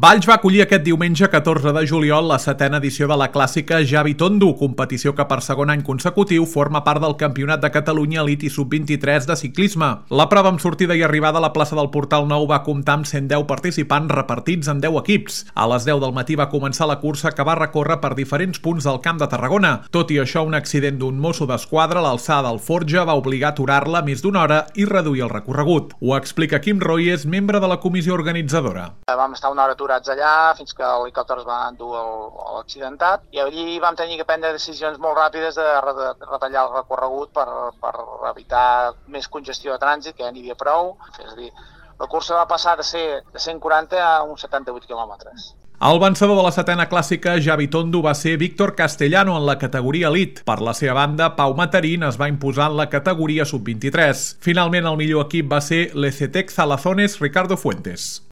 Valls va acollir aquest diumenge 14 de juliol la 7a edició de la clàssica Xavi Tondo, competició que per segon any consecutiu forma part del Campionat de Catalunya Elit i Sub-23 de ciclisme. La prova amb sortida i arribada a la plaça del Portal Nou va comptar amb 110 participants repartits en 10 equips. A les 10 del matí va començar la cursa que va recórrer per diferents punts del Camp de Tarragona. Tot i això, un accident d'un mosso d'esquadra a l'alçada del Forja va obligar a aturar-la més d'una hora i reduir el recorregut. Ho explica Quim Royes, membre de la comissió organitzadora. Vam estar una hora aturats allà fins que l'helicòpter es va endur a l'accidentat i allí vam tenir que prendre decisions molt ràpides de retallar el recorregut per evitar més congestió de trànsit, que ja n'hi havia prou. És a dir, la cursa va passar de ser de 140 a uns 78 quilòmetres. El vencedor de la 7a clàssica Xavi Tondo va ser Víctor Castellano en la categoria Elit. Per la seva banda, Pau Matarín es va imposar en la categoria Sub-23. Finalment, el millor equip va ser l'ECTEC Zalazones Ricardo Fuentes.